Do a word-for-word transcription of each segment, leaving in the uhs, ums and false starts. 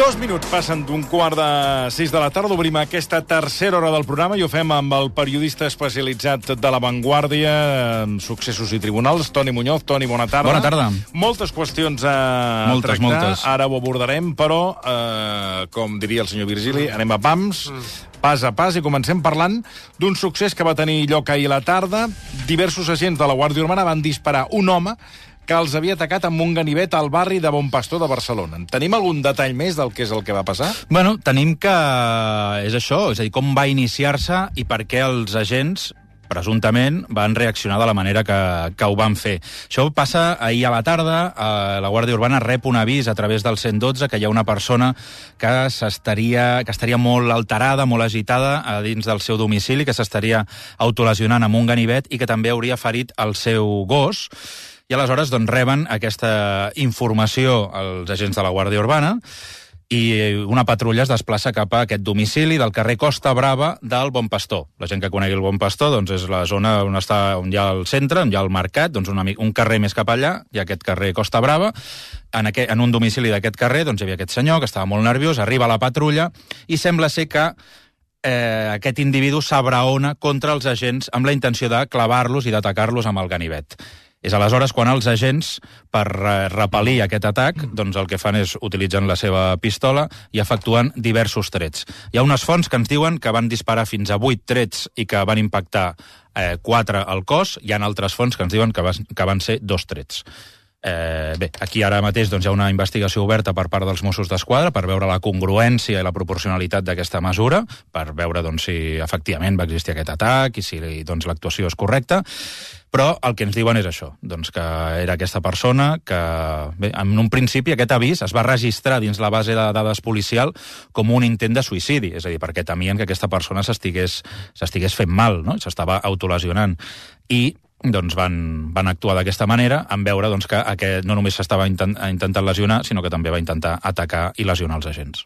Dos minuts passen d'un quart de sis de la tarda. Obrim aquesta tercera hora del programa i ho fem amb el periodista especialitzat de La Vanguardia en successos i tribunals, Toni Muñoz. Toni, bona tarda. Bona tarda. Moltes qüestions a moltes, tractar. Moltes. Ara ho abordarem, però, eh, com diria el senyor Virgili, anem a pams, pas a pas, i comencem parlant d'un succés que va tenir lloc ahir a la tarda. Diversos agents de la Guàrdia Urbana van disparar un home que els havia atacat amb un ganivet al barri de Bon Pastor de Barcelona. Tenim algun detall més del que és el que va passar? Bueno, tenim que és això, és a dir, com va iniciar-se i per què els agents presumptament van reaccionar de la manera que, que ho van fer. Això passa ahir a la tarda, eh, la Guàrdia Urbana rep un avís a través del cent dotze que hi ha una persona que s'estaria que estaria molt alterada, molt agitada a dins del seu domicili, que s'estaria autolesionant amb un ganivet i que també hauria ferit el seu gos. I aleshores doncs, reben aquesta informació als agents de la Guàrdia Urbana i una patrulla es desplaça cap a aquest domicili del carrer Costa Brava del Bon Pastor. La gent que conegui el Bon Pastor doncs, és la zona on, està, on hi ha el centre, on hi ha el mercat, doncs una, un carrer més cap allà, hi ha aquest carrer Costa Brava. En, aquest, en un domicili d'aquest carrer doncs, hi havia aquest senyor que estava molt nerviós, arriba la patrulla i sembla ser que eh, aquest individu s'abraona contra els agents amb la intenció de clavar-los i d'atacar-los amb el ganivet. És aleshores quan els agents, per repel·lir aquest atac, doncs el que fan és utilitzen la seva pistola i efectuen diversos trets. Hi ha unes fonts que ens diuen que van disparar fins a vuit trets i que van impactar eh, quatre al cos. Hi ha altres fonts que ens diuen que, va, que van ser dos trets. Eh, bé, aquí ara mateix doncs, hi ha una investigació oberta per part dels Mossos d'Esquadra per veure la congruència i la proporcionalitat d'aquesta mesura, per veure doncs, si efectivament va existir aquest atac i si doncs, l'actuació és correcta. Però el que ens diuen és això, doncs que era aquesta persona que, bé, en un principi aquest avís es va registrar dins la base de dades policial com un intent de suïcidi, és a dir, perquè temien que aquesta persona s'estigués s'estigués fent mal, no? S'estava autolesionant. I doncs van, van actuar d'aquesta manera en veure doncs, que aquest no només s'estava intent, intentant lesionar, sinó que també va intentar atacar i lesionar els agents.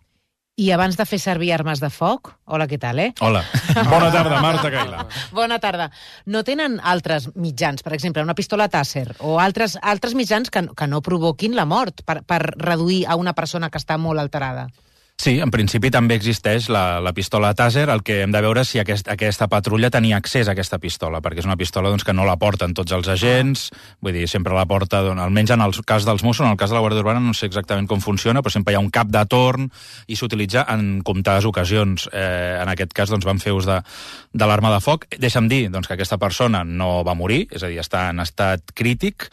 I abans de fer servir armes de foc... Hola, què tal, eh? Hola. Bona tarda, Marta Caila. Bona tarda. No tenen altres mitjans, per exemple, una pistola Taser, o altres, altres mitjans que, que no provoquin la mort per, per reduir a una persona que està molt alterada? Sí, en principi també existeix la, la pistola Taser. El que hem de veure és si aquest, aquesta patrulla tenia accés a aquesta pistola, perquè és una pistola doncs, que no la porten tots els agents, vull dir, sempre la porta, doncs, almenys en el cas dels Mossos, en el cas de la Guàrdia Urbana no sé exactament com funciona, però sempre hi ha un cap de torn i s'utilitza en comptades ocasions. Eh, en aquest cas doncs, van fer ús de, de l'arma de foc. Deixa'm dir doncs, que aquesta persona no va morir, és a dir, està en estat crític,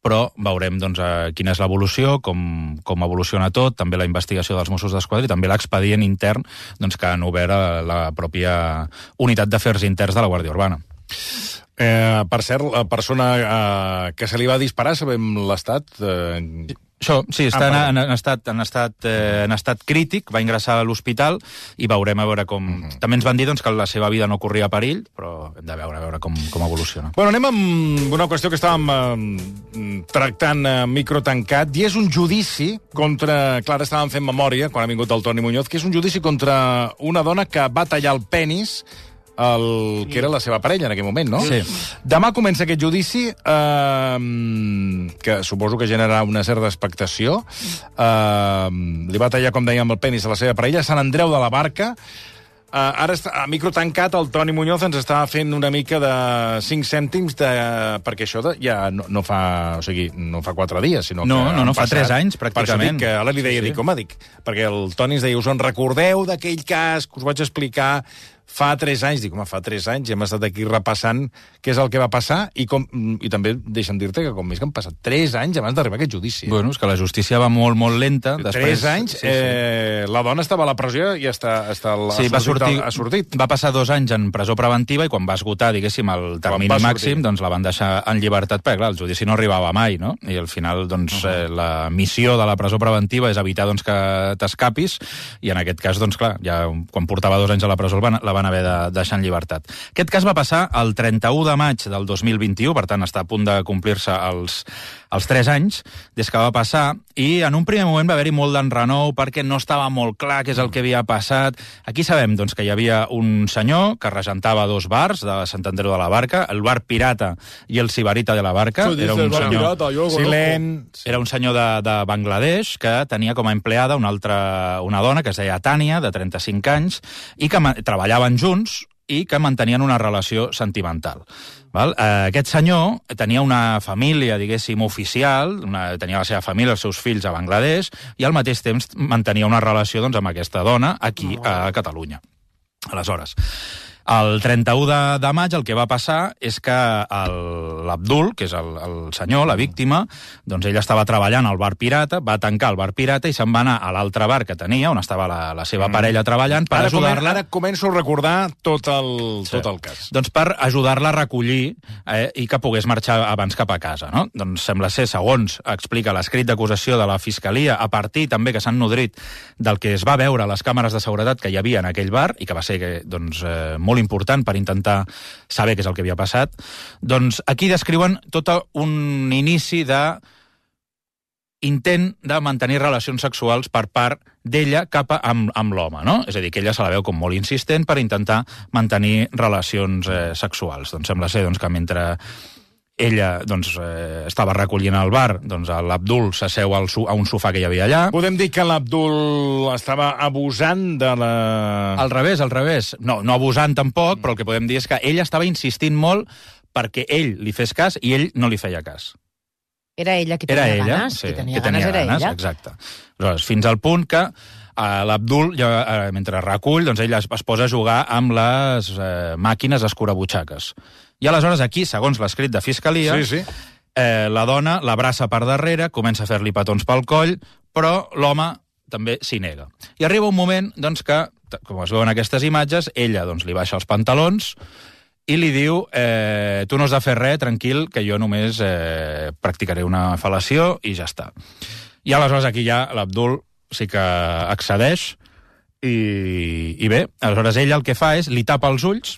però veurem doncs, quina és l'evolució, com, com evoluciona tot, també la investigació dels Mossos d'Esquadra i també l'expedient intern doncs, que han obert a la pròpia unitat d'afers interns de la Guàrdia Urbana. Eh, per cert, la persona eh, que se li va disparar, sabem l'estat... Eh... Això, sí, està ah, en, en, estat, en, estat, eh, en estat crític, va ingressar a l'hospital i veurem a veure com... Uh-huh. També ens van dir doncs, que la seva vida no corria perill, però hem de veure a veure com, com evoluciona. Bueno, anem amb una qüestió que estàvem eh, tractant a eh, micro tancat, i és un judici contra... Clar, estàvem fent memòria, quan ha vingut el Toni Muñoz, que és un judici contra una dona que va tallar el penis el que era la seva parella en aquell moment, no? Sí. Demà comença aquest judici, eh, que suposo que generarà una certa expectació. Eh, li va tallar, com dèiem, el penis a la seva parella, a Sant Andreu de la Barca. Eh, ara, està, a micro tancat, el Toni Muñoz ens està fent una mica de cinc cèntims, de, perquè això de, ja no, no fa, o sigui, no fa quatre dies, sinó no, que... No, no, fa passat, tres anys, pràcticament. Per això dic que ara li deia, sí. dic, home, dic, perquè el Toni ens deia, us en recordeu d'aquell cas que us vaig explicar fa tres anys? Dic, home, fa tres anys, hem estat aquí repassant què és el que va passar i, com, i també deixa'm dir-te que com més que han passat tres anys abans d'arribar a aquest judici. Bueno, és que la justícia va molt, molt lenta. Després, tres anys, sí, sí. Eh, la dona estava a la presó i està, està sí, ha, va sortir, ha sortit. Va passar dos anys en presó preventiva i quan va esgotar, diguéssim, el termini màxim, doncs la van deixar en llibertat, perquè clar, el judici no arribava mai, no? I al final, doncs, uh -huh. eh, la missió de la presó preventiva és evitar doncs, que t'escapis, i en aquest cas, doncs clar, ja quan portava dos anys a la presó la van, la van haver de deixar en llibertat. Aquest cas va passar el trenta-u de maig del dos mil vint-i-u, per tant està a punt de complir-se els, els tres anys des que va passar, i en un primer moment va haver-hi molt d'enrenou perquè no estava molt clar què és el que havia passat. Aquí sabem doncs, que hi havia un senyor que regentava dos bars de Sant Andreu de la Barca, el bar Pirata i el Sibarita de la Barca. Era un senyor, Silent. era un senyor de, de Bangladesh que tenia com a empleada una altra una dona que es deia Tània, de trenta-cinc anys, i que treballaven junts i que mantenien una relació sentimental. Val? Eh, aquest senyor tenia una família, diguéssim, oficial, una, tenia la seva família, els seus fills a Bangladesh, i al mateix temps mantenia una relació doncs, amb aquesta dona aquí a Catalunya. Aleshores, el trenta-u de, de maig el que va passar és que l'Abdul, que és el, el senyor, la víctima, doncs ell estava treballant al bar Pirata, va tancar el bar Pirata i se'n va anar a l'altre bar que tenia, on estava la, la seva parella treballant, per ajudar-la... Ara començo a recordar tot el, sí. tot el cas. Doncs per ajudar-la a recollir eh, i que pogués marxar abans cap a casa, no? Doncs sembla ser, segons explica l'escrit d'acusació de la Fiscalia, a partir també que s'han nodrit del que es va veure a les càmeres de seguretat que hi havia en aquell bar, i que va ser doncs, eh, molt important per intentar saber què és el que havia passat, doncs aquí descriuen tot un inici de intent de mantenir relacions sexuals per part d'ella cap a, amb, amb l'home, no? És a dir, que ella se la veu com molt insistent per intentar mantenir relacions eh, sexuals. Doncs sembla ser doncs, que mentre ella doncs, eh, estava recollint al bar, doncs l'Abdul s'asseu al a un sofà que hi havia allà. Podem dir que l'Abdul estava abusant de la... Al revés, al revés. No, no abusant tampoc, però el que podem dir és que ell estava insistint molt perquè ell li fes cas i ell no li feia cas. Era ella qui tenia era ella, ganes? Sí, qui tenia qui tenia ganes, ganes, era ella? exacte. Aleshores, fins al punt que eh, l'Abdul, eh, mentre recull, doncs ell es, es posa a jugar amb les eh, màquines escurabutxaques. I aleshores aquí, segons l'escrit de Fiscalia, sí, sí. Eh, la dona l'abraça per darrere, comença a fer-li petons pel coll, però l'home també s'hi nega. I arriba un moment doncs, que, com es veuen aquestes imatges, ella doncs, li baixa els pantalons i li diu, eh, tu no has de fer res, tranquil, que jo només eh, practicaré una fel·lació i ja està. I aleshores aquí ja l'Abdul sí que accedeix i, i bé, aleshores ella el que fa és li tapa els ulls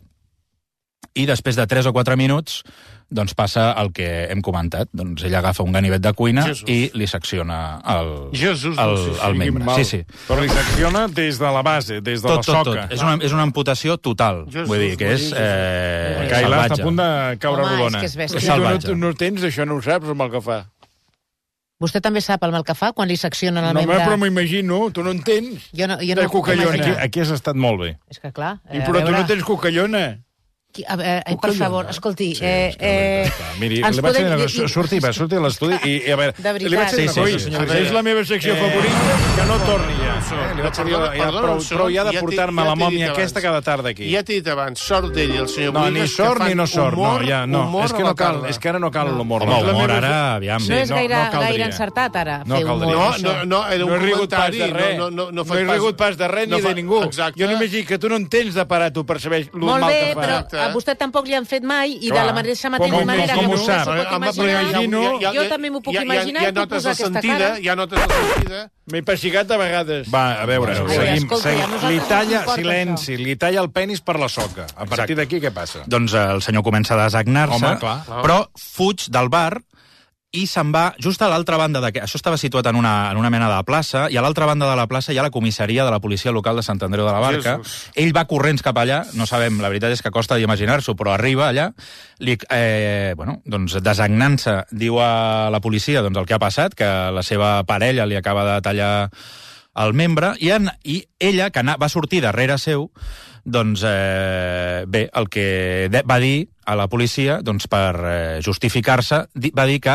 i després de tres o quatre minuts doncs passa el que hem comentat. Doncs ella agafa un ganivet de cuina Jesús. I li secciona el, Jesús, el, no sé si el membre. Sí, sí. Però li secciona des de la base, des de tot, la soca. Tot, tot. És una, és una amputació total. Jesús, vull dir que és eh, Caila està a punt de caure Home, rodona. és que és bèstia. És salvatge. Tu no, no tens, això no ho saps, el mal que fa. Vostè també sap el mal que fa quan li seccionen el no, membre... No, però m'imagino, tu no en tens. Jo no, jo de no puc cocallona. imaginar. Aquí, aquí has estat molt bé. És que clar... Eh, però tu no tens cocallona. Qui, a, eh, eh, per favor, escolti... Sí, eh, eh, Miri, li vaig podem... dir, surti, va, surti a l'estudi i, i a veure... De veritat. Li vaig dir una Sí, cosa, sí, senyor Sí, és la meva secció Eh, favorita, que no torni ja. Eh, li vaig dir, Perdona, ja, perdona, prou, un segon, prou ja de ja t'he- portar-me ja la t'he mòmia dit aquesta abans. cada tarda aquí. Ja t'he dit abans, sort d'ell i el senyor No, ni Boigues, sort que fan ni no sort, humor, no, ja, no. humor És a que la no cal, tarda. és que ara no cal l'humor. Home, La humor meva- ara, aviam. No és no, gaire, no caldria. gaire encertat, ara, No fer caldria. humor. No, no, no, era No un he rigut pas comentari. de res. No, no, no, no he rigut pas de res no ni fa- de ningú. Exacte. Jo només dic que tu no en tens de parar, tu, per saber el Molt mal bé, que fa. però Exacte. a vostè tampoc li han fet mai i Clar. de la mateixa Com- mateixa com- manera com que ho vostè sap? s'ho pot Home, imaginar, imagino- jo també m'ho puc ja, imaginar ja, i puc notes posar la aquesta sentida, cara. ja notes la sentida. M'he pessigat a vegades. Va, a veure, Ai, seguim. escolta, seguim. a nosaltres Li no ens talla, importa silenci, li talla el penis per la soca. A partir d'aquí què passa? Doncs eh, el senyor comença a desagnar-se, Home, clar. però fuig del bar i se'n va just a l'altra banda de... Això estava situat en una, en una mena de plaça, i a l'altra banda de la plaça hi ha la comissaria de la policia local de Sant Andreu de la Barca. Jesús. Ell va corrents cap allà, no sabem, la veritat és que costa d'imaginar-s'ho, però arriba allà, li, eh, bueno, doncs desagnant-se, diu a la policia doncs, el que ha passat, que la seva parella li acaba de tallar el membre, i, en, i ella, que va sortir darrere seu, doncs, eh, bé, el que de, va dir a la policia, doncs, per eh, justificar-se, di, va dir que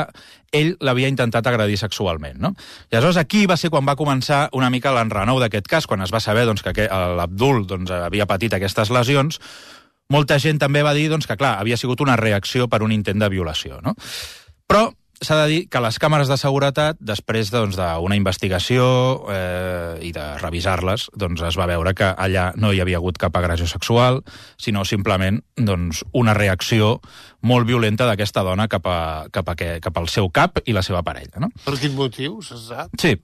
ell l'havia intentat agredir sexualment, no? I aleshores aquí va ser quan va començar una mica l'enrenou d'aquest cas, quan es va saber doncs, que l'Abdul doncs, havia patit aquestes lesions. Molta gent també va dir doncs, que, clar, havia sigut una reacció per un intent de violació, no? Però s'ha de dir que les càmeres de seguretat, després doncs, d'una investigació eh, i de revisar-les, doncs, es va veure que allà no hi havia hagut cap agressió sexual, sinó simplement doncs, una reacció molt violenta d'aquesta dona cap, a, cap, a que, cap al seu cap i la seva parella. No? Per quin motiu, se sap? Sí.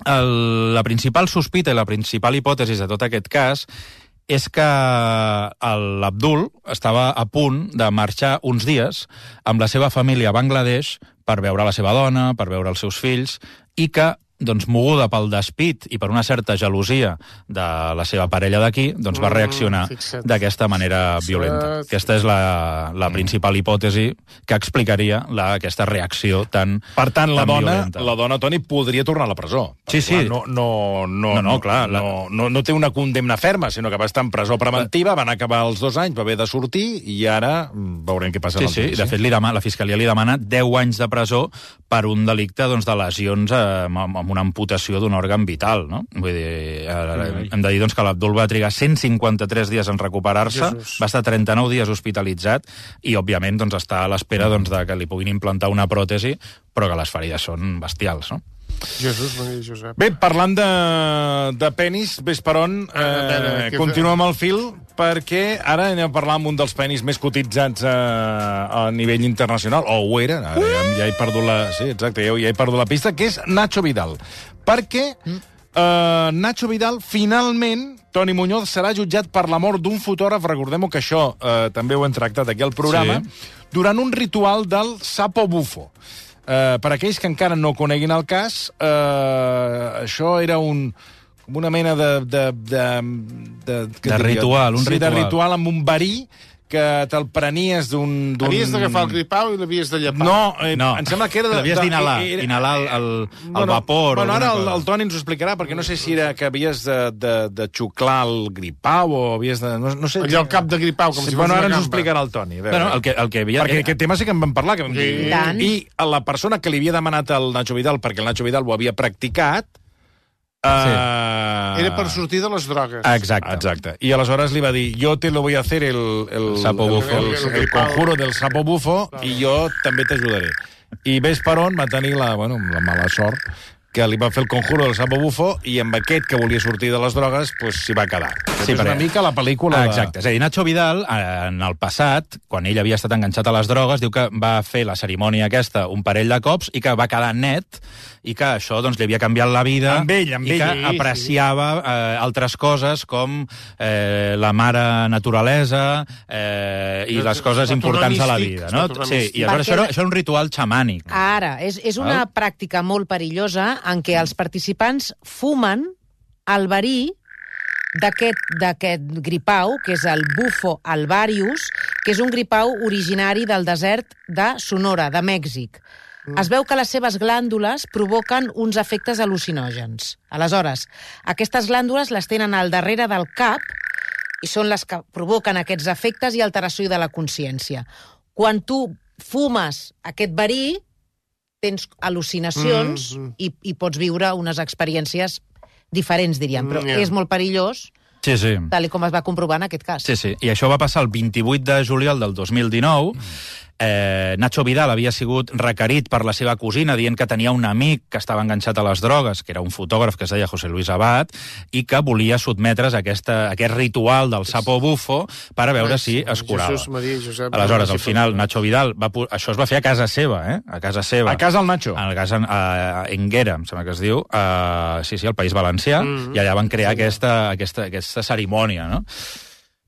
El, la principal sospita i la principal hipòtesi de tot aquest cas és que l'Abdul estava a punt de marxar uns dies amb la seva família a Bangladesh per veure la seva dona, per veure els seus fills, i que, doncs, moguda pel despit i per una certa gelosia de la seva parella d'aquí, doncs va reaccionar fixa't. d'aquesta manera violenta. Aquesta és la, la principal hipòtesi que explicaria la, aquesta reacció tan Per tant, la tan dona, violenta. la dona, Toni, podria tornar a la presó. Sí, sí. Clar, no, no, no, No, no, clar, la- No, no, no té una condemna ferma, sinó que va estar en presó preventiva, van acabar els dos anys, va haver de sortir, i ara mm, veurem què passa. Sí, en el sí, judici. de fet, li demana, la Fiscalia li demana deu anys de presó per un delicte, doncs, de lesions eh, amb, amb una amputació d'un òrgan vital, no? Vull dir, eh, hem de dir, doncs, que l'Abdul va trigar cent cinquanta-tres dies en recuperar-se, Jesús. va estar trenta-nou dies hospitalitzat i, òbviament, doncs, està a l'espera doncs, de que li puguin implantar una pròtesi, però que les ferides són bestials, no? Jesús, Maria Josep. Bé, parlant de, de penis, ves per on, A veure, eh, què continuem el fil, perquè ara anem a parlar amb un dels penis més cotitzats a, a nivell internacional, o ho era, ara ja, ja he perdut la... Sí, exacte, ja, ja he perdut la pista, que és Nacho Vidal. Perquè eh, Nacho Vidal, finalment, Toni Muñoz, serà jutjat per la mort d'un fotògraf, recordem-ho que això eh, també ho hem tractat aquí al programa, Sí. durant un ritual del sapo bufo. Uh, per aquells que encara no coneguin el cas, uh, això era un, una mena de... De, de, de, què De diria? ritual, un sí, ritual. de ritual amb un verí que te'l prenies d'un... d'un- Havies d'agafar el gripau i l'havies de llepar. No, eh, No, em sembla que era... de- l'havies de- d'inhalar, era- inhalar el, el, el Bueno, vapor. Bueno, o ara alguna el, cosa. el Toni ens ho explicarà, perquè no sé si era que havies de, de, de xuclar el gripau o havies de... No, no sé, Allò al cap de gripau, com sí, si fos bueno, una ara ens ho gamba. explicarà el Toni. A veure. Bueno, el que, el que havia... Perquè aquest tema sí que en vam parlar. Que vam Sí. dir. I tant. I a la persona que li havia demanat el Nacho Vidal, perquè el Nacho Vidal ho havia practicat... Uh... Era per sortir de les drogues. Exacte. Exacte. I aleshores li va dir, yo te lo voy a hacer el, el, Sapo el, bufo. el, el, el conjuro del sapo bufo i jo també t'ajudaré. I ves per on va tenir la, bueno, la mala sort que li va fer el conjuro del sapo bufo i amb aquest que volia sortir de les drogues pues, s'hi va quedar. Sí, és una perquè- mica la pel·lícula... Exacte. És a dir, Nacho Vidal, eh, en el passat, quan ell havia estat enganxat a les drogues, diu que va fer la cerimònia aquesta un parell de cops i que va quedar net i que això doncs, li havia canviat la vida Amb ell, amb i ell, que sí, apreciava eh, altres coses com eh, la mare naturalesa eh, i les coses Està importants de la místic, vida. No? està Sí, místic. i aleshores Perquè això, era, la- això era un ritual xamànic. Ara, és, és una Val. pràctica molt perillosa en què els participants fumen el verí d'aquest d'aquest gripau, que és el bufo alvarius, que és un gripau originari del desert de Sonora, de Mèxic. Es veu que les seves glàndules provoquen uns efectes al·lucinògens. Aleshores, aquestes glàndules les tenen al darrere del cap i són les que provoquen aquests efectes i alteració de la consciència. Quan tu fumes aquest verí, tens al·lucinacions Mm, mm. i, i pots viure unes experiències diferents, diríem, però Mm, ja. és molt perillós, Sí, sí. tal i com es va comprovar en aquest cas. Sí, sí. I això va passar el vint-i-vuit de juliol del dos mil dinou. Eh, Nacho Vidal havia sigut requerit per la seva cosina dient que tenia un amic que estava enganxat a les drogues, que era un fotògraf que es deia José Luis Abad, i que volia sotmetre's a, aquesta, a aquest ritual del sapo bufo per a veure si es curava. Jesús, Maria, Josep... Aleshores, al final, Nacho Vidal... Va, pu- això es va fer a casa seva, eh? A casa seva. A casa el Nacho. A casa a Enguera, em sembla que es diu, a, sí, sí, al País Valencià, mm -hmm. i allà van crear aquesta, aquesta, aquesta cerimònia, no?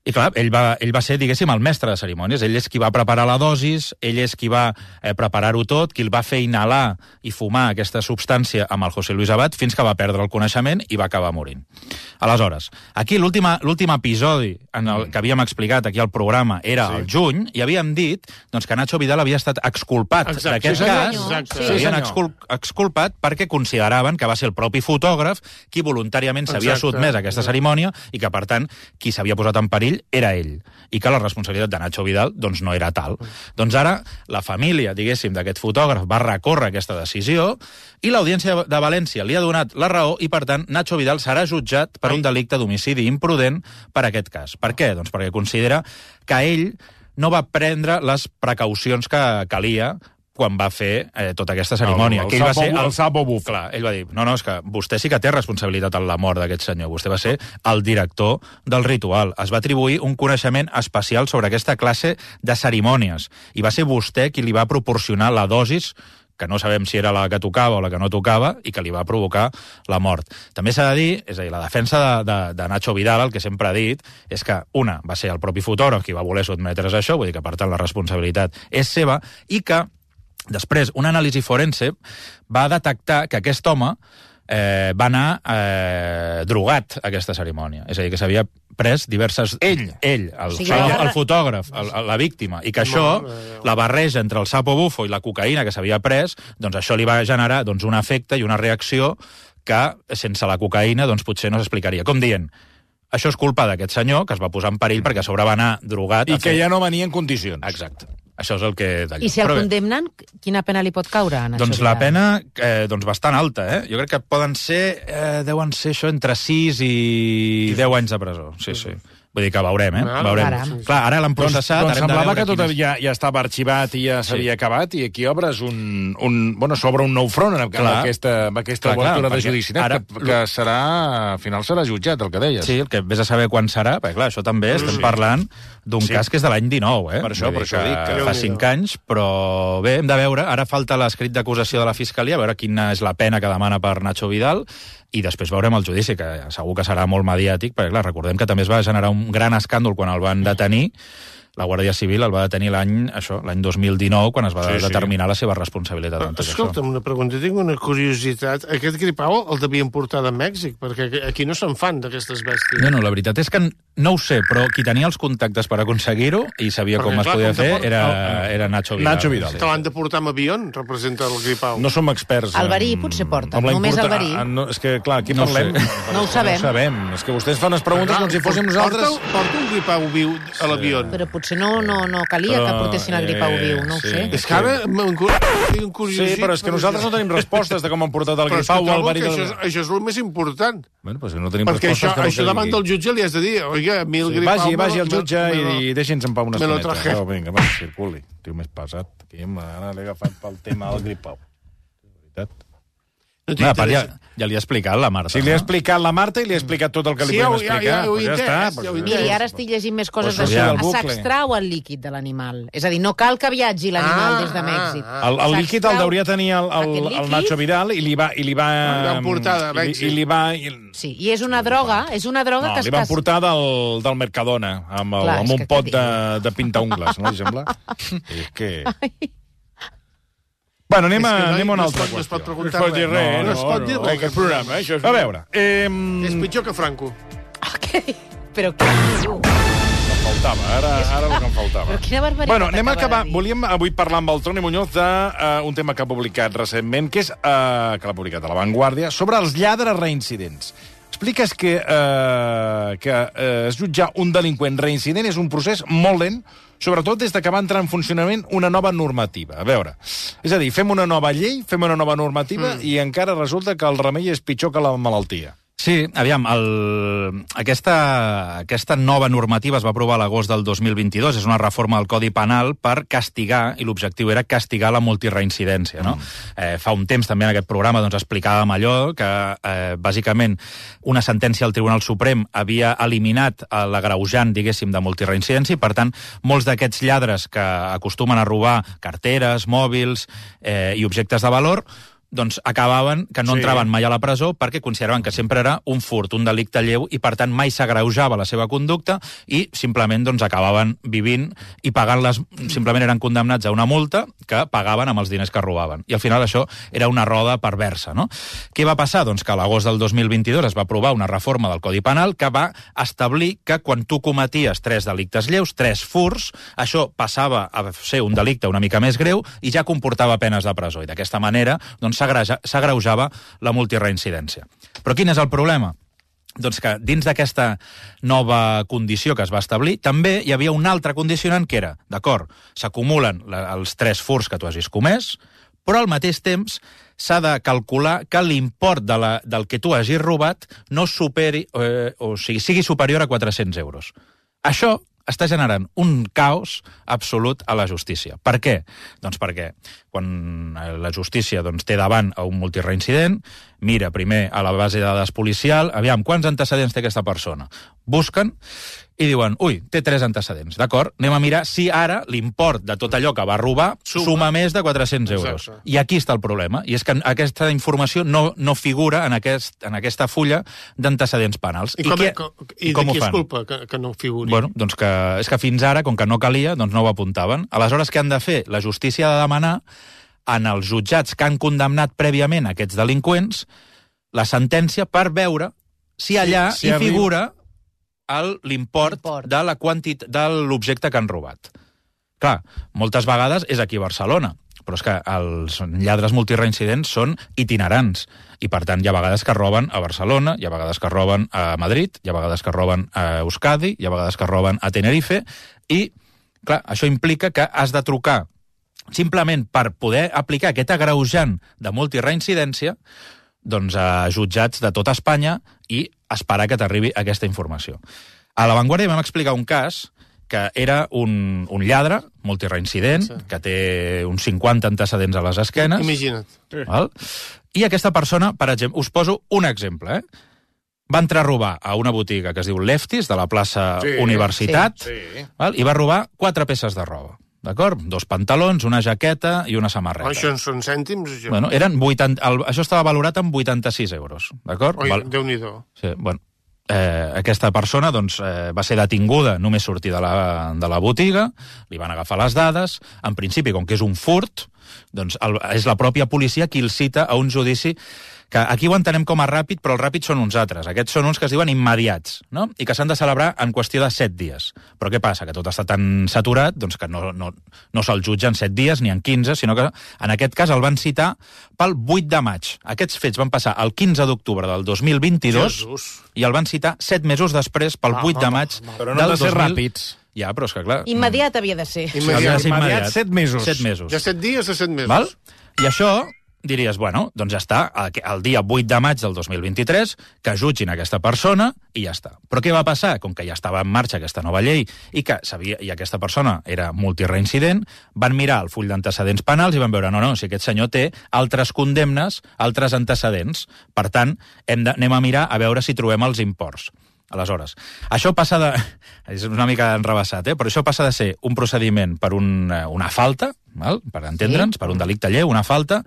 I clar, ell va, ell va ser, diguéssim, el mestre de cerimònies. Ell és qui va preparar la dosis, ell és qui va eh, preparar-ho tot, qui el va fer inhalar i fumar aquesta substància amb el José Luis Abad fins que va perdre el coneixement i va acabar morint. Aleshores, aquí l'últim episodi en el que havíem explicat aquí al programa era Sí. el juny, i havíem dit doncs, que Nacho Vidal havia estat exculpat Exacte. d'aquest Sí, senyor. cas. Exacte. Sí, L'havien senyor. excul exculpat perquè consideraven que va ser el propi fotògraf qui voluntàriament s'havia Exacte. sotmès a aquesta cerimònia i que, per tant, qui s'havia posat en perill era ell, i que la responsabilitat de Nacho Vidal doncs, no era tal. Doncs ara la família, diguéssim, d'aquest fotògraf va recórrer aquesta decisió i l'Audiència de València li ha donat la raó i, per tant, Nacho Vidal serà jutjat per un delicte d'homicidi imprudent per aquest cas. Per què? Doncs perquè considera que ell no va prendre les precaucions que calia quan va fer eh, tota aquesta cerimònia. El- el que ell va sapo- ser el sapo bufo. Clar, ell va dir, no, no, és que vostè sí que té responsabilitat en la mort d'aquest senyor. Vostè va ser el director del ritual. Es va atribuir un coneixement especial sobre aquesta classe de cerimònies. I va ser vostè qui li va proporcionar la dosis que no sabem si era la que tocava o la que no tocava, i que li va provocar la mort. També s'ha de dir, és a dir, la defensa de, de, de Nacho Vidal, el que sempre ha dit, és que, una, va ser el propi fotògraf qui va voler sotmetre's a això, vull dir que, per tant, la responsabilitat és seva, i que, després, una anàlisi forense va detectar que aquest home eh, va anar eh, drogat a aquesta cerimònia. És a dir, que s'havia pres diverses... Ell? Ell, el, O sigui, el, la- el fotògraf, el, la víctima, i que això, la barreja entre el sapo bufo i la cocaïna que s'havia pres, doncs això li va generar doncs, un efecte i una reacció que, sense la cocaïna, doncs potser no s'explicaria. Com dient, això és culpa d'aquest senyor, que es va posar en perill perquè a sobre va anar drogat... I a que fer- ja no venia en condicions. Exacte. Això és el que... I si el Però bé, condemnen, quina pena li pot caure a Nacho doncs la Vidal? pena, eh, doncs bastant alta, eh? Jo crec que poden ser, eh, deuen ser això entre sis i deu anys de presó. Sí, sí. Vull dir que veurem, eh? Ah, Veurem. caram. Clar, ara l'han Doncs, processat... doncs ara hem de semblava veure que tot quin és- ja, ja estava arxivat i ja s'havia Sí. acabat, i aquí obres un... un bueno, s'obre un nou front amb, amb Clar. aquesta, amb aquesta Clar, clar, obertura de perquè judici, ara- que, que serà... Al final serà jutjat, el que deies. Sí, el que vés a saber quan serà, perquè clar, això també estem parlant d'un Sí. cas que és de l'any dinou, eh? Per això, Vull per dir això dic que- fa cinc anys, però bé, hem de veure, ara falta l'escrit d'acusació de la Fiscalia, a veure quina és la pena que demana per Nacho Vidal, i després veurem el judici, que segur que serà molt mediàtic, perquè clar, recordem que també es va generar un gran escàndol quan el van detenir. La Guàrdia Civil el va detenir l'any això, l'any dos mil dinou, quan es va Sí, sí. determinar la seva responsabilitat en tot Escolta'm, això. una pregunta, tinc una curiositat. Aquest gripau el devien portar de Mèxic, perquè aquí no se'n fan d'aquestes bèsties. Bueno, la veritat és que no ho sé, però qui tenia els contactes per aconseguir-ho i sabia Perquè, com es clar, podia com te fer porta- era, era Nacho Vidal. Nacho Vidal. Te l'han de portar amb avió, representa el gripau. No som experts... El verí en- potser porta, amb la només el importa- verí. Ah, no, és que, clar, aquí No ho parlem... sé. No ho sabem. No ho sabem. És que vostès fan unes preguntes com si fóssim nosaltres... Porta, porta un gripau viu a l'avió. Però potser no, no, no calia que Però, portessin el gripau eh, viu, no ho sí. sé. És que ara m'han tinc curiositat. Sí, però és que nosaltres no tenim respostes de com han portat el Però és que gripau o el trobo verí... que del- això, és, això és el més important. Bueno, però és que no tenim Perquè això, respostes que no això davant del jutge li has de dir, oiga, a mi el Sí, gripau... vagi, me vagi lo- al jutge me lo- i, i deixi'ns en pau una me lo estoneta. traje. Oh, vinga, va, circuli. Tio més pesat. Aquí ara l'he agafat pel tema del gripau. De veritat. No Va, part, ja, t'interessa. ja li ha explicat la Marta. Sí, li he no? explicat la Marta i li he explicat tot el que li Sí, podem ja- ja- explicar. ja ho he Pues ja entès, està. ja pues ho he ja entès. Miri, ara estic llegint més coses Pues d'això. sortir del bucle. S'extrau el líquid de l'animal. És a dir, no cal que viatgi l'animal Ah, des de Mèxic. ah, El, el líquid el deuria tenir el, el, Aquest el líquid? Nacho Vidal i li va... I li va Li van portar de i, li- Mèxic. I li va... I, Sí, i és una droga, és una droga no, que es li van cas- portar del, del Mercadona, amb, el, Clar, amb és un que pot què de, de pintaungles, no li sembla? És que... Bueno, anem a, És que no- anem a una no es altra pot- no es pot qüestió. preguntar No es pot dir res. res, No es pot dir res. Aquest programa, eh? Això és... A veure, eh, És pitjor que Franco. Ah, què? Però què diu? em faltava, ara, ara el que em faltava. Però quina barbaritat Bueno, anem a acaba acabar. de dir. Volíem avui parlar amb el Toni Muñoz d'un uh, tema que ha publicat recentment, que és uh, que l'ha publicat a La Vanguardia, sobre els lladres reincidents. Expliques que, uh, que uh, jutjar un delinqüent reincident és un procés molt lent, sobretot des de que va entrar en funcionament una nova normativa. A veure, és a dir, fem una nova llei, fem una nova normativa mm. i encara resulta que el remei és pitjor que la malaltia. Sí, aviam, el, aquesta, aquesta nova normativa es va aprovar a l'agost del dos mil vint-i-dos, és una reforma del Codi Penal per castigar, i l'objectiu era castigar la multireincidència, no? Mm. Eh, fa un temps també en aquest programa doncs, explicàvem allò que, eh, bàsicament, una sentència del Tribunal Suprem havia eliminat l'agreujant, diguéssim, de multireincidència, i, per tant, molts d'aquests lladres que acostumen a robar carteres, mòbils eh, i objectes de valor, doncs acabaven que no Sí. entraven mai a la presó perquè consideraven que sempre era un furt, un delicte lleu, i per tant mai s'agreujava la seva conducta i simplement doncs acabaven vivint i pagant-les, simplement eren condemnats a una multa que pagaven amb els diners que robaven. I al final això era una roda perversa, no? Què va passar? Doncs que a l'agost del dos mil vint-i-dos es va aprovar una reforma del Codi Penal que va establir que quan tu cometies tres delictes lleus, tres furts, això passava a ser un delicte una mica més greu i ja comportava penes de presó. I d'aquesta manera, doncs, s'agreujava la multireincidència. Però quin és el problema? Doncs que dins d'aquesta nova condició que es va establir, també hi havia un altre condicionant que era, d'acord, s'acumulen els tres furts que tu hagis comès, però al mateix temps s'ha de calcular que l'import de la, del que tu hagis robat no superi, eh, o sigui, sigui superior a quatre-cents euros. Això està generant un caos absolut a la justícia. Per què? Doncs perquè quan la justícia doncs, té davant a un multireincident, mira primer a la base de dades policial, aviam, quants antecedents té aquesta persona? Busquen i diuen, ui, té tres antecedents, d'acord? Anem a mirar si ara l'import de tot allò que va robar suma, suma més de quatre-cents euros. Exacte. I aquí està el problema, i és que aquesta informació no, no figura en, aquest, en aquesta fulla d'antecedents penals. I, com, què, i, com, i, i com de ho qui és fan? culpa que, que no figuri? Bueno, doncs que, és que fins ara, com que no calia, doncs no ho apuntaven. Aleshores, què han de fer? La justícia ha de demanar en els jutjats que han condemnat prèviament aquests delinqüents la sentència per veure si allà si hi arriba- figura el- l'import L'import. de la quantit de l'objecte que han robat. Clar, moltes vegades és aquí a Barcelona, però és que els lladres multireincidents són itinerants, i per tant hi ha vegades que roben a Barcelona, hi ha vegades que roben a Madrid, hi ha vegades que roben a Euskadi, hi ha vegades que roben a Tenerife, i clar, això implica que has de trucar simplement per poder aplicar aquest agreujant de multireincidència doncs, a jutjats de tota Espanya i esperar que t'arribi aquesta informació. A La Vanguardia vam explicar un cas que era un, un lladre multireincident, Sí. que té uns cinquanta antecedents a les esquenes. Imagina't. Val? I aquesta persona, per exemple, us poso un exemple, eh? Va entrar a robar a una botiga que es diu Lefties, de la plaça Sí, Universitat, sí. val? I va robar quatre peces de roba. D'acord? Dos pantalons, una jaqueta i una samarreta. Oh, això en són cèntims? Això. Bueno, eren vuitanta, el, això estava valorat en vuitanta-sis euros, d'acord? Oi, Val- Déu-n'hi-do. Sí, bueno, eh, aquesta persona doncs, eh, va ser detinguda només sortir de la, de la botiga, li van agafar les dades, en principi, com que és un furt, doncs el, és la pròpia policia qui el cita a un judici que aquí ho entenem com a ràpid, però els ràpids són uns altres. Aquests són uns que es diuen immediats, no? I que s'han de celebrar en qüestió de set dies. Però què passa? Que tot està tan saturat doncs que no, no, no se'l jutja en set dies ni en quinze, sinó que en aquest cas el van citar pel vuit de maig. Aquests fets van passar el quinze d'octubre del dos mil vint-i-dos Jesús. i el van citar set mesos després, pel Va, vuit de va, maig va, va. Però no han del de ser dos mil. ràpids. Ja, però és que clar... Immediat havia de ser. Immediat. Havia de ser Immediat, set mesos. Set mesos. De set dies a set mesos. Val? I això diries, bueno, doncs ja està, el dia vuit de maig del dos mil vint-i-tres, que jutgin aquesta persona i ja està. Però què va passar? Com que ja estava en marxa aquesta nova llei i que sabia, i aquesta persona era multireincident, van mirar el full d'antecedents penals i van veure, no, no, si aquest senyor té altres condemnes, altres antecedents. Per tant, hem de, anem a mirar a veure si trobem els imports. Aleshores, això passa de... És una mica enrebaçat, eh? Però això passa de ser un procediment per un, una falta, val? Per entendre'ns, sí. Per un delicte lleu, una falta,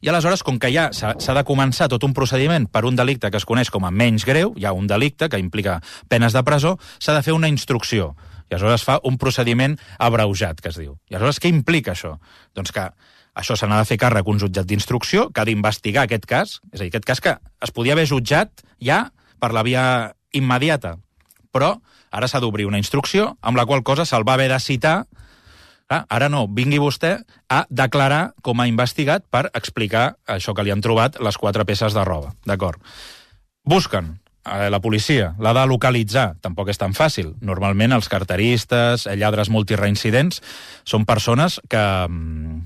i aleshores, com que ja s'ha de començar tot un procediment per un delicte que es coneix com a menys greu, hi ha un delicte que implica penes de presó, s'ha de fer una instrucció. I aleshores fa un procediment abreujat, que es diu. I aleshores, què implica això? Doncs que això se n'ha de fer càrrec un jutjat d'instrucció que ha d'investigar aquest cas, és a dir, aquest cas que es podia haver jutjat ja per la via immediata, però ara s'ha d'obrir una instrucció amb la qual cosa se'l va haver de citar. Ah, ara no, vingui vostè a declarar com a investigat per explicar això que li han trobat les quatre peces de roba, d'acord? Busquen eh, la policia, l'ha de localitzar, tampoc és tan fàcil. Normalment els carteristes, lladres multireincidents, són persones que,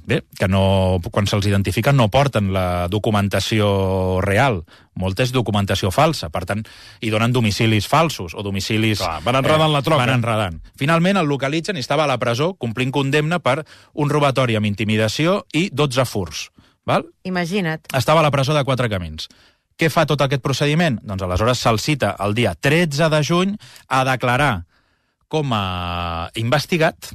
bé, que no, quan se'ls identifiquen no porten la documentació real, molta és documentació falsa, per tant, hi donen domicilis falsos o domicilis... Clar, van enredant la troca. Van enredant. Finalment el localitzen i estava a la presó complint condemna per un robatori amb intimidació i dotze furts. Val? Imagina't. Estava a la presó de Quatre Camins. Què fa tot aquest procediment? Doncs aleshores se'l cita el dia tretze de juny a declarar com a investigat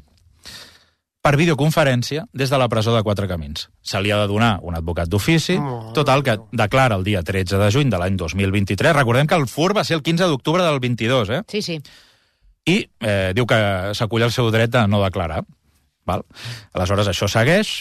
per videoconferència des de la presó de Quatre Camins. Se li ha de donar un advocat d'ofici, total, que declara el dia tretze de juny de l'any dos mil vint-i-tres. Recordem que el furt va ser el quinze d'octubre del vint-i-dos, eh? Sí, sí. I eh, diu que s'acull el seu dret a no declarar. Val? Aleshores, això segueix.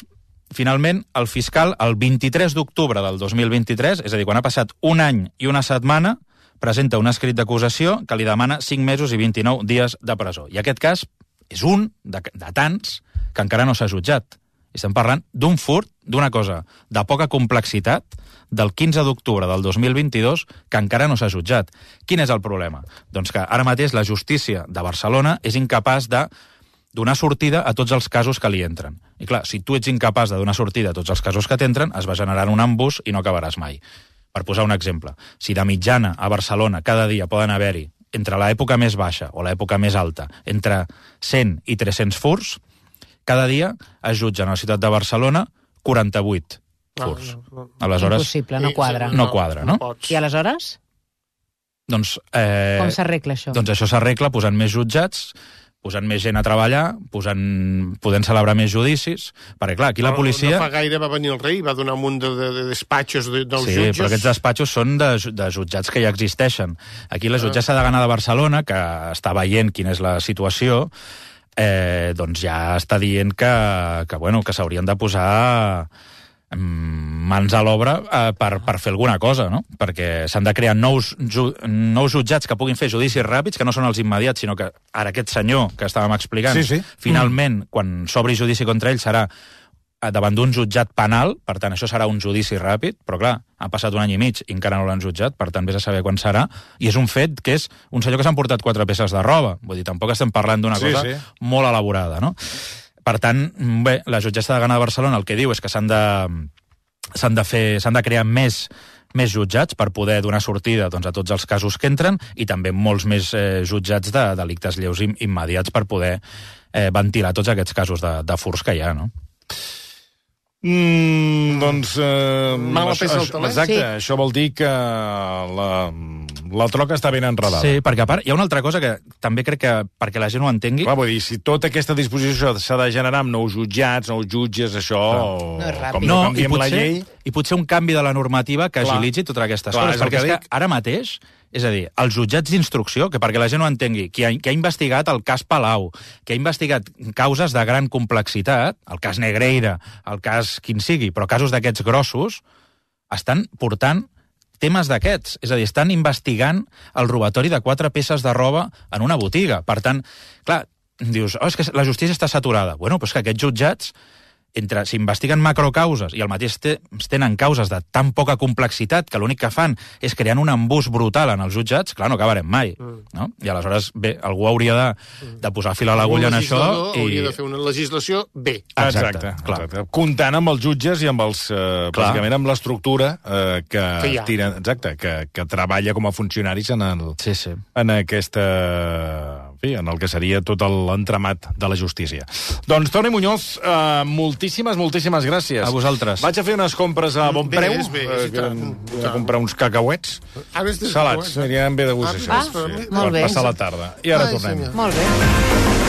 Finalment, el fiscal, el vint-i-tres d'octubre del dos mil vint-i-tres, és a dir, quan ha passat un any i una setmana, presenta un escrit d'acusació que li demana cinc mesos i vint-i-nou dies de presó. I aquest cas és un de, de tants que encara no s'ha jutjat. I estem parlant d'un furt, d'una cosa de poca complexitat, del quinze d'octubre del dos mil vint-i-dos, que encara no s'ha jutjat. Quin és el problema? Doncs que ara mateix la justícia de Barcelona és incapaç de donar sortida a tots els casos que li entren. I clar, si tu ets incapaç de donar sortida a tots els casos que t'entren, es va generant un embús i no acabaràs mai. Per posar un exemple, si de mitjana a Barcelona cada dia poden haver-hi, entre l'època més baixa o l'època més alta, entre cent i tres-cents furts, cada dia es jutgen a la ciutat de Barcelona quaranta-vuit furs. No, no, no. Aleshores, Impossible, no quadra. no quadra, no? pots. I aleshores? doncs... Eh, Com s'arregla això? Doncs això s'arregla posant més jutjats, posant més gent a treballar, posant, podent celebrar més judicis, perquè, clar, aquí la policia... No, no fa gaire va venir el rei, va donar un munt de, de, de despatxos de, dels sí, jutges. però aquests despatxos són de, de jutjats que ja existeixen. Aquí la jutgessa de Gana de Barcelona, que està veient quina és la situació, eh, doncs ja està dient que, que, bueno, que s'haurien de posar mans a l'obra eh, per, per fer alguna cosa, no? Perquè s'han de crear nous, ju, nous jutjats que puguin fer judicis ràpids, que no són els immediats, sinó que ara aquest senyor que estàvem explicant, Sí, sí. finalment, mm. quan s'obri judici contra ell, serà davant d'un jutjat penal, per tant, això serà un judici ràpid, però clar, ha passat un any i mig i encara no l'han jutjat, per tant, vés a saber quan serà, i és un fet que és un senyor que s'han portat quatre peces de roba, vull dir, tampoc estem parlant d'una Sí, cosa sí. molt elaborada, no? Per tant, bé, la jutgessa de Gana de Barcelona el que diu és que s'han de, s'han de, fer, s'han de crear més, més jutjats per poder donar sortida doncs, a tots els casos que entren i també molts més eh, jutjats de delictes lleus im, immediats per poder eh, ventilar tots aquests casos de, de furs que hi ha, no? Mm, doncs... Eh, Mala això, peça al això- taler. Exacte, Sí. això vol dir que la, la troca està ben enredada. Sí, perquè a part hi ha una altra cosa que també crec que, perquè la gent ho entengui... Clar, vull dir, si tota aquesta disposició s'ha de generar amb nous jutjats, nous jutges, això... No és ràpid. com No, no i canviem la potser, llei... i potser un canvi de la normativa que Clar. agilitzi totes aquestes Clar, coses, és el perquè que és dic. que ara mateix, és a dir, els jutjats d'instrucció, que perquè la gent ho entengui, qui ha, qui ha investigat el cas Palau, que ha investigat causes de gran complexitat, el cas Negreira, el cas quin sigui, però casos d'aquests grossos, estan portant temes d'aquests. És a dir, estan investigant el robatori de quatre peces de roba en una botiga. Per tant, clar, dius, oh, és que la justícia està saturada. Bueno, però és que aquests jutjats, entre s'investiguen macrocauses i al mateix temps tenen causes de tan poca complexitat que l'únic que fan és crear un embús brutal en els jutjats, clar, no acabarem mai. Mm. No? I aleshores, bé, algú hauria de, de posar fil a l'agulla en això. I... I... hauria de fer una legislació bé. Exacte, Exacte, clar. exacte. Comptant amb els jutges i amb els, eh, bàsicament amb l'estructura eh, que, Que hi ha. tira, exacte, que, que treballa com a funcionaris en, el, Sí, sí. en aquesta... En fi, en el que seria tot l'entramat de la justícia. Doncs, Toni Muñoz, eh, moltíssimes, moltíssimes gràcies. A vosaltres. Vaig a fer unes compres a bon Bé, preu. és bé, eh, i tant, que- i a tant. comprar uns cacauets Ara és de... salats. Aniran bé de gust, Ah, això. ah, molt per bé. passar la tarda. I ara Ai, tornem. senyor. Molt bé.